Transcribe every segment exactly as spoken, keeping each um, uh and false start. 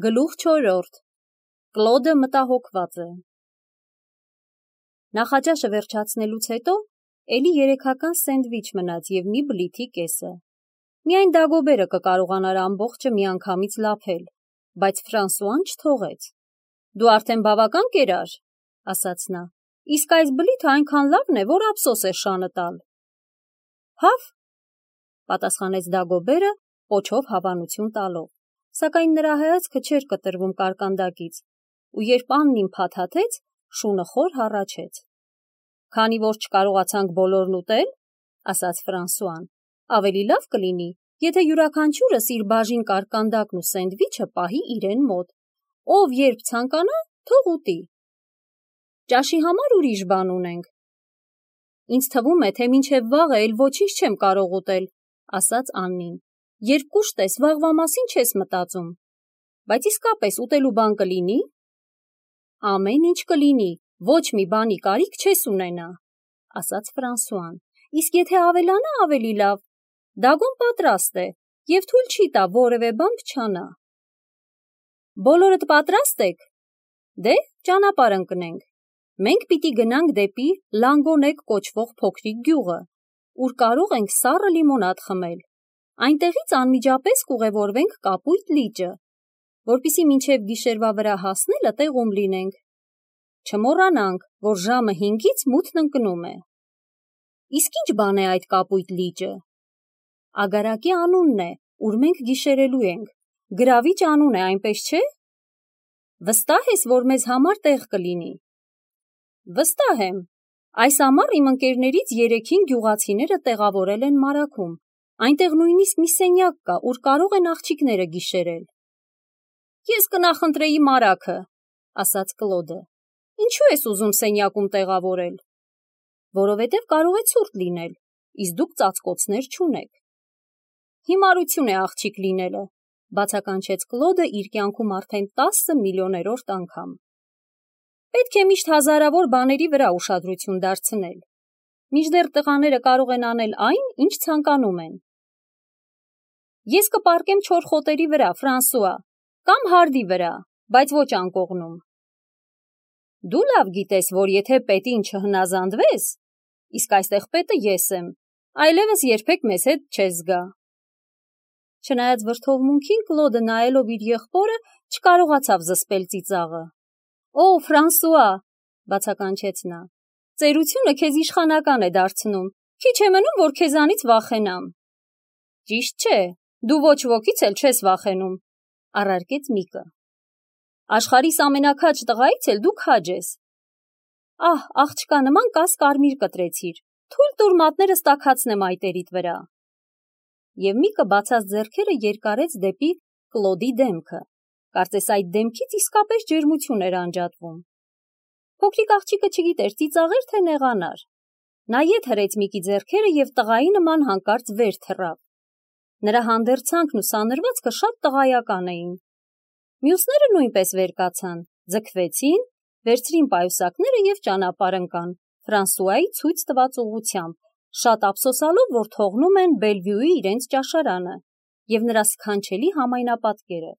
Գլուխ չորրորդ. Կլոդը մտահոգված է։ Նախաճաշը վերջացնելուց հետո էլի երեքական սենդվիչ մնաց և մի բլիթի կեսը։ Միայն Դագոբերը կկարողանար ամբողջը միանգամից լափել, բայց Ֆրանսուան չթողեց։ Դու արդեն բավական կերար, ասաց նա, իսկ այս բլիթը այնքան լավն է, որ ափսոս է շանը տալ։ Հավ, պատասխանեց Դագոբերը, պոչով հավանություն տալով, սակայն նրա հայացքը չէր կտրվում կարկանդակից, ու երբ Աննին փաթաթեց, շունը խոր հառաչեց։ Քանի որ չկարողացանք բոլորն ուտել, ասաց Ֆրանսուան, ավելի լավ կլինի, եթե յուրաքանչյուրս իր բաժին կարկանդակն ու սենդվիչը պահի իրեն մոտ, ով երբ ցանկանա, թող ուտի։ Ճաշի համար ուրիշ բան ունենք։ Ինձ թվում է, թե մինչև վաղը էլ ոչինչ չեմ կարող ուտել, ասաց Աննին, երբ կուշտ ես, վաղվա մասին չես մտածում, բայց իսկապես ուտելու բան կլինի։ Ամեն ինչ կլինի, ոչ մի բանի կարիք չես ունենա, ասաց Ֆրանսուան, իսկ եթե ավելանա ավելի լավ, Դագոն պատրաստ է և թույլ չի տա որևէ բան փչանա։ Բոլորդ պատրաստ եք։ Դե, ճանապարհ ընկնենք։ Մենք պիտի գնանք դեպի Լանգոնեկ կոչվող փոքրիկ գյուղը, ուր կարող ենք սառը լիմոնադ խմել։ Այնտեղից անմիջապես կուղևորվենք Կապույտ լիճը, որպեսզի մինչև գիշերվա վրա հասնելը տեղում լինենք։ Չմոռանանք, որ ժամը հինգից մութն ընկնում է։ Իսկ ինչ բան է այդ Կապույտ լիճը։ Ագարակի անունն է, ուր մենք գիշերելու ենք։ Գրավիչ անուն է, այնպես չէ։ Վստահ ես, որ մեզ համար տեղ կլինի։ Վստահ եմ։ Այս ամառ իմ ընկերներից երեքին գյուղացիները տեղավորել են մարաքում։ Այնտեղ նույնիսկ մի սենյակ կա, ուր կարող են աղջիկները գիշերել։ Ես կնախընտրեի մարաքը, ասաց Կլոդը։ Ինչու ես ուզում սենյակում տեղավորել։ Որովհետև կարող է ցուրտ լինել, իսկ դուք ծածկոցներ չունեք։ Հիմարություն է աղջիկ լինելը, բացականչեց Կլոդը իր կյանքում արդեն տասը միլիոներորդ անգամ։ Պետք է միշտ հազարավոր բաների վրա ուշադրություն դարձնել։ Մինչդեռ տղաները կարող են անել այն, ինչ ցանկանում են։ Ես կպառկեմ չոր խոտերի վրա, Ֆրանսուଆ, կամ հարդի վրա, բայց ոչ անկողնում։ Դու լավ գիտես, որ եթե պետին չհնազանդվես, իսկ այստեղ պետը ես եմ, այլևս երբեք մեզ հետ չես գա։ Չնայած վրդովմունքին, Կլոդը նայելով իր եղբորը, չկարողացավ զսպել ծիծաղը։ Օ, Ֆրանսուଆ, բացականչեց նա, ծերությունը քեզ իշխանական է դարձնում, քիչ է մնում, որ քեզանից վախենամ։ Ճիշտ չէ, դու ոչ ոքից էլ չես վախենում, առարկեց Միկը։ Աշխարհիս ամենաքաջ տղայից էլ դու քաջ ես։ Ահ, աղջկա նման կաս կարմիր կտրեցիր, թույլ տուր մատներս տաքացնեմ այտերիդ վրա։ Եվ Միկը բացած ձեռքերը երկարեց դեպի Կլոդի դեմքը, կարծես այդ դեմքից իսկապես ջերմություն էր անջատվում։ Փոքրիկ աղջիկը չգիտեր ծիծաղեր, թե նեղանար։ Նա ետ հրեց Միկի ձեռքերը և տղայի նման հանկարծ վեր թռավ։ Նրա հանդերձանքն ու սանրվածքը շատ տղայական էին։ Մյուսները նույնպես վեր կացան, ձգվեցին, վերցրին պայուսակները և ճանապարհ ընկան Ֆրանսուայի ցույց տված ուղղությամբ, շատ ափսոսալով, որ թողնում են Բելվյուի իրենց ճաշարանը և նրա սքանչելի համայնապատկերը։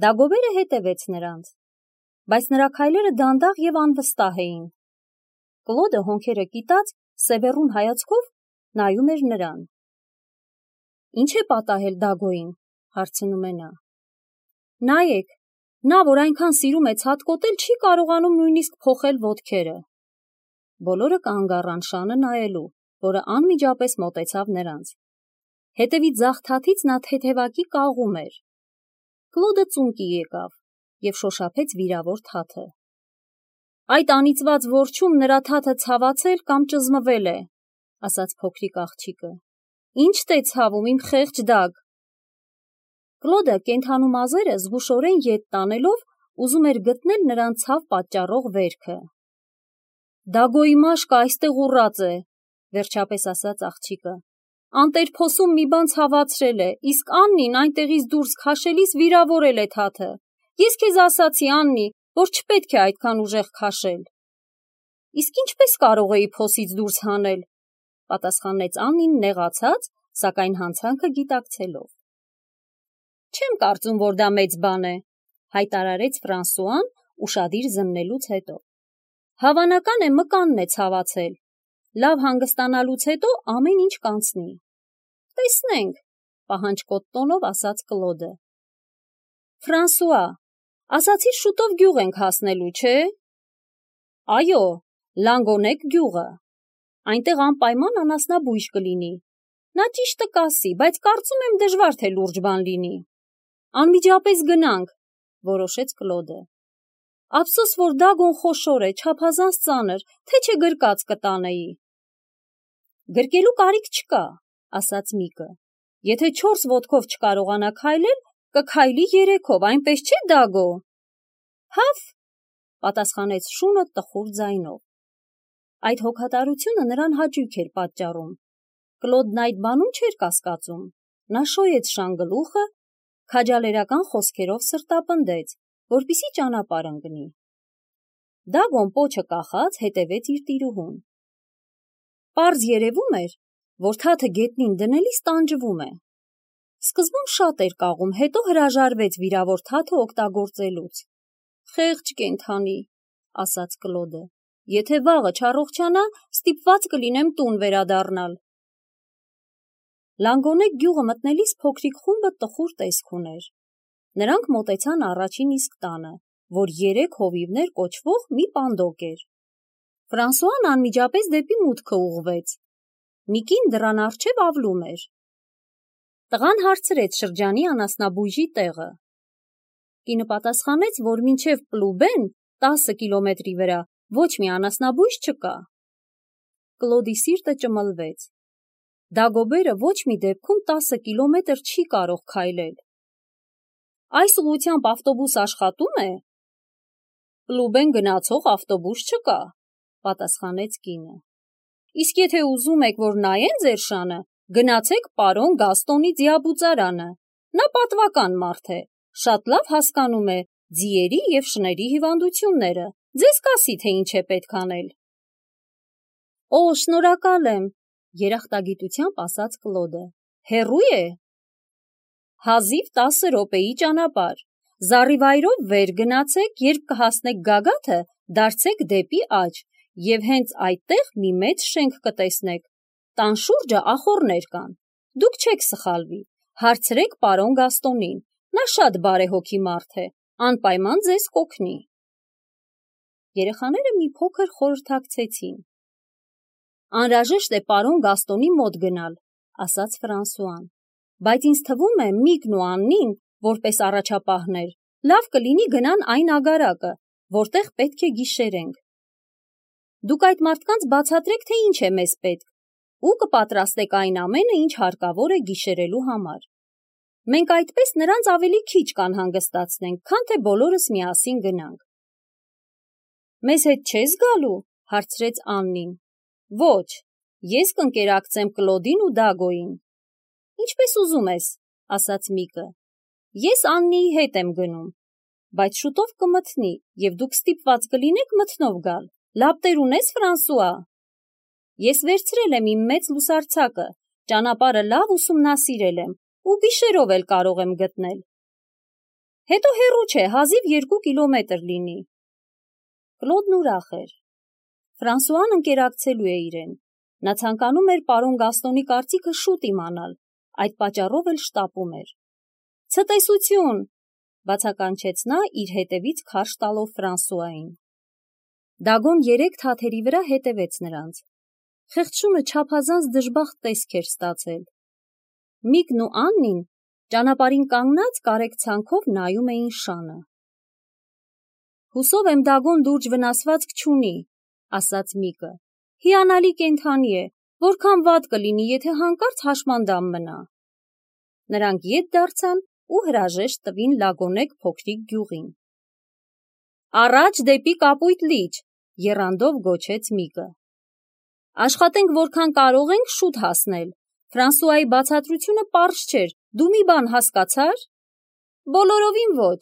Դագոբերը հետևեց նրանց, բայց նրա քայլերը դանդաղ և անվստահ էին։ Կլոդը հոնքերը կիտած, սևեռուն հայացքով նայում էր նրան։ Ինչ է պատահել Դագոյին, հարցնում է նա։ Նայեք, նա, որ այնքան սիրում է ցատկոտել, չի կարողանում նույնիսկ փոխել ոտքերը։ Բոլորը կանգ առան շանը նայելու, որը անմիջապես մոտեցավ նրանց։ Հետևի ձախ թաթից նա թեթևակի կաղում էր։ Կլոդը ծունկի եկավ և շոշափեց վիրավոր թաթը։ Այդ անիծված որջում նրա թաթը ցավացել կամ ճզմվել է, ասաց փոքրիկ աղջիկը։ Ինչ-տ է ցավում, իմ խեղճ Դագ։ Կլոդը կենդանու մազերը զգուշորեն ետ տանելով ուզում էր գտնել նրան ցավ պատճառող վերքը։ Դագոյի մաշկը այստեղ ուռած է, վերջապես ասաց աղջիկը։ Անտերփոսում մի բան ցավացրել է, իսկ Աննին այնտեղից դուրս քաշելիս վիրավորել է թաթը։ Ես քեզ ասացի, Աննի, որ չպետք է այդքան ուժեղ քաշել։ Իսկ ինչպես կարող էի փոսից դուրս հանել, պատասխանեց Աննին նեղացած, սակայն հանցանքը գիտակցելով։ Չեմ կարծում, որ դա մեծ բան է, հայտարարեց Ֆրանսուան ուշադիր զննելուց հետո։ Հավանական է մկանն է ցավացել։ Լավ հանգստանալուց հետո ամեն ինչ կանցնի։ Տեսնենք, պահանջկոտ տոնով ասաց Կլոդը։ Ֆրանսուա, ասացիր շուտով գյուղ ենք հասնելու, չէ՞։ Այո, Լանգոնեկ գյուղը։ Այնտեղ անպայման անասնաբույժ կլինի։ Նա ճիշտը կասի, բայց կարծում եմ դժվար թե լուրջ բան լինի։ Անմիջապես գնանք, որոշեց Կլոդը։ Ափսոս, որ Դագոն խոշոր է, չափազանց ծանր, թե չէ գրկած կտանեի։ Գրկելու կարիք չկա, ասաց Միկը։ Եթե չորս ոտքով չկարողանա քայլել, կքայլի երեքով, այնպես չէ, Դագո։ Հավ, պատասխանեց շունը տխուր ձայնով։ Այդ հոգատարությունը նրան հաճույք էր պատճառում։ Կլոդն այդ բանում չէր կասկածում։ Նա շոյեց շանգլուխը, քաջալերական խոսքերով սրտապնդեց, որպիսի ճանապարհ ընկնի։ Դագոն պոչը կախած հետևեց իր տիրուհուն։ Պարզ երևում էր, որ թաթը գետնին դնելիս տանջվում է։ Սկզբում շատ էր կաղում, հետո հրաժարվեց վիրավոր թաթը օգտագործելուց։ Խեղճ կենդանի, ասաց Կլոդը, եթե վաղը չառողջանա, ստիպված կլինեմ տուն վերադառնալ։ Լանգոնեկ գյուղը մտնելիս փոքրիկ խումբը տխուր տեսք ուներ։ Նրանք մոտեցան առաջին իսկ տանը, որ երեք հովիվներ կոչվող մի պանդոկ էր։ Ֆրանսուան անմիջապես դեպի մուտքը ուղղվեց։ Միկին դռան առջև ավլում էր։ Տղան հարցրեց շրջանի անասնաբույժի տեղը։ Կինը պատասխանեց, որ մինչև Պլուբեն, տասը կիլոմետրի վրա, ոչ մի անասնաբույժ չկա։ Կլոդի սիրտը ճմլվեց։ Դագոբերը ոչ մի դեպքում տասը կիլոմետր չի կարող քայլել։ Այս ուղղությամբ ավտոբուս աշխատում է։ Պլուբեն գնացող ավտոբուս չկա, պատասխանեց կինը։ Իսկ եթե ուզում եք, որ նայեն ձեր շանը, գնացեք պարոն Գաստոնի ձիաբուծարանը։ Նա պատվական մարդ է, շատ լավ հասկանում է ձիերի և շների հիվանդությունները, ձեզ կասի, թե ինչ է պետք անել։ Օ, շնորհակալ եմ, երախտագիտությամբ ասաց Կլոդը։ Հեռու է։ Հազիվ տասը րոպեի ճանապարհ։ Զառիվայրով վեր գնացեք, երբ կհասնեք գագաթը, դարձեք դեպի աջ, և հենց այդտեղ մի մեծ շենք կտեսնեք։ Տան շուրջը ախոռներ կան։ Դուք չեք սխալվի, հարցրեք պարոն Գաստոնին, նա շատ բարեհոգի մարդ է, անպայման ձեզ կօգնի։ Երեխաները մի փոքր խորհրդակցեցին։ Անհրաժեշտ է պարոն Գաստոնի մոտ գնալ, ասաց Ֆրանսուան, բայց ինձ թվում է Միկն ու Աննին, որպես առաջապահներ, լավ կլինի գնան այն ագարակը, որտեղ պետք է գիշերենք։ Դուք այդ մարդկանց բացատրեք, թե ինչ է մեզ պետք, ու կպատրաստեք այն ամենը, ինչ հարկավոր է գիշերելու համար։ Մենք այդպես նրանց ավելի քիչ կանհանգստացնենք, քան թե բոլորս միասին գնանք։ Մեզ հետ չես գալու, հարցրեց Աննին։ Ոչ, ես կընկերակցեմ Կլոդին ու Դագոյին։ Ինչպես ուզում ես, ասաց Միկը։ Ես Աննիի հետ եմ գնում, բայց շուտով կմթնի, և դուք ստիպված կլինեք մթնով գալ։ Լապտեր ունես, Ֆրանսուա։ Ես վերցրել եմ իմ մեծ լուսարձակը, ճանապարհը լավ ուսումնասիրել եմ, ու գիշերով էլ կարող եմ գտնել։ Հետո հեռու չէ, հազիվ երկու կիլոմետր լինի։ Կլոդն ուրախ էր։ Ֆրանսուան ընկերակցելու է իրեն։ Նա ցանկանում էր պարոն Գաստոնի կարծիքը շուտ իմանալ, այդ պատճառով էլ շտապում էր։ Ցտեսություն, բացականչեց նա իր հետևից քարշ տալով Ֆրանսուային։ Դագոն երեք թաթերի վրա հետևեց նրանց։ Խեղճշունը չափազանց դժբախտ տեսք էր ստացել։ Միկն ու Աննին ճանապարհին կանգնած կարեկցանքով նայում էին շանը։ Հուսով եմ Դագոն լուրջ վնասվածք չունի, ասաց Միկը։ Հիանալի կենդանի է, որքան վատ կլինի, եթե հանկարծ հաշմանդամ մնա։ Նրանք ետ դարձան ու հրաժեշտ տվին Լագոնեկ փոքրիկ գյուղին։ Առաջ դեպի Կապույտ լիճ, եռանդով գոչեց Միկը։ Աշխատենք որքան կարող ենք շուտ հասնել։ Ֆրանսուայի բացատրությունը պարզ չէր, դու մի բան հասկացա՞ր։ Բոլորովին ոչ։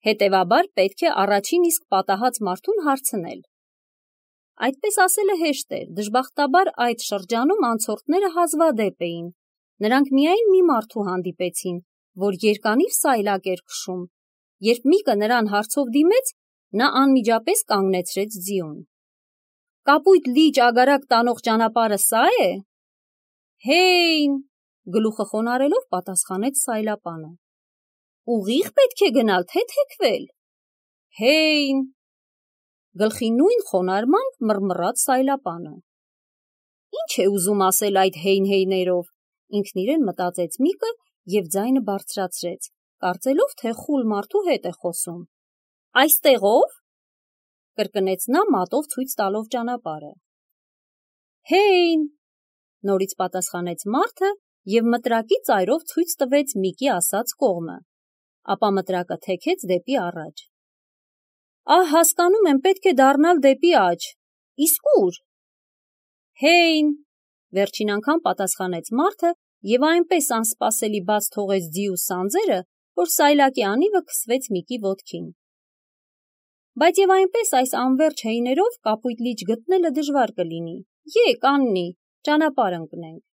Հետևաբար պետք է առաջին իսկ պատահած մարդուն հարցնել։ Այդպես ասելը հեշտ էր, դժբախտաբար այդ շրջանում անցորդները հազվադեպ էին։ Նրանք միայն մի մարդու հանդիպեցին, որ երկանիվ սայլակ էր քշում։ Երբ Միկը նրան հարցով դիմեց, նա անմիջապես կանգնեցրեց ձիուն։ Կապույտ լիճ ագարակ տանող ճանապարհը սա է։ Հեյն, գլուխը խոնարելով պատասխանեց սայլապանը։ Ուղիղ պետք է գնալ, թե թեքվել։ Հեյն, գլխի նույն խոնարհմամբ մռմռաց սայլապանը։ Ինչ է ուզում ասել այդ հեյն-հեյներով, ինքն իրեն մտածեց Միկը և ձայնը բարձրացրեց, կարծելով, թե խուլ մարդու հետ է խոսում։ Այստեղո՞վ, կրկնեց նա մատով ցույց տալով ճանապարհը։ Հեյն, նորից պատասխանեց մարդը և մտրակի ծայրով ցույց տվեց Միկի ասած կողմը, ապա մտրակը թեքեց դեպի առաջ։ Ահ, հասկանում եմ, պետք է դառնալ դեպի աջ, իսկ ուր։ Հեյն, վերջին անգամ պատասխանեց մարդը և այնպես անսպասելի բաց թողեց ձիու սանձերը, որ սայլակի անիվը քսվեց Միկի ոտքին։ Բայց և այնպես այս անվերջ հեյներով կապույտ լիճ գտնելը դժվար կլինի։ Եկ, Աննի, ճանապարհ ընկնենք։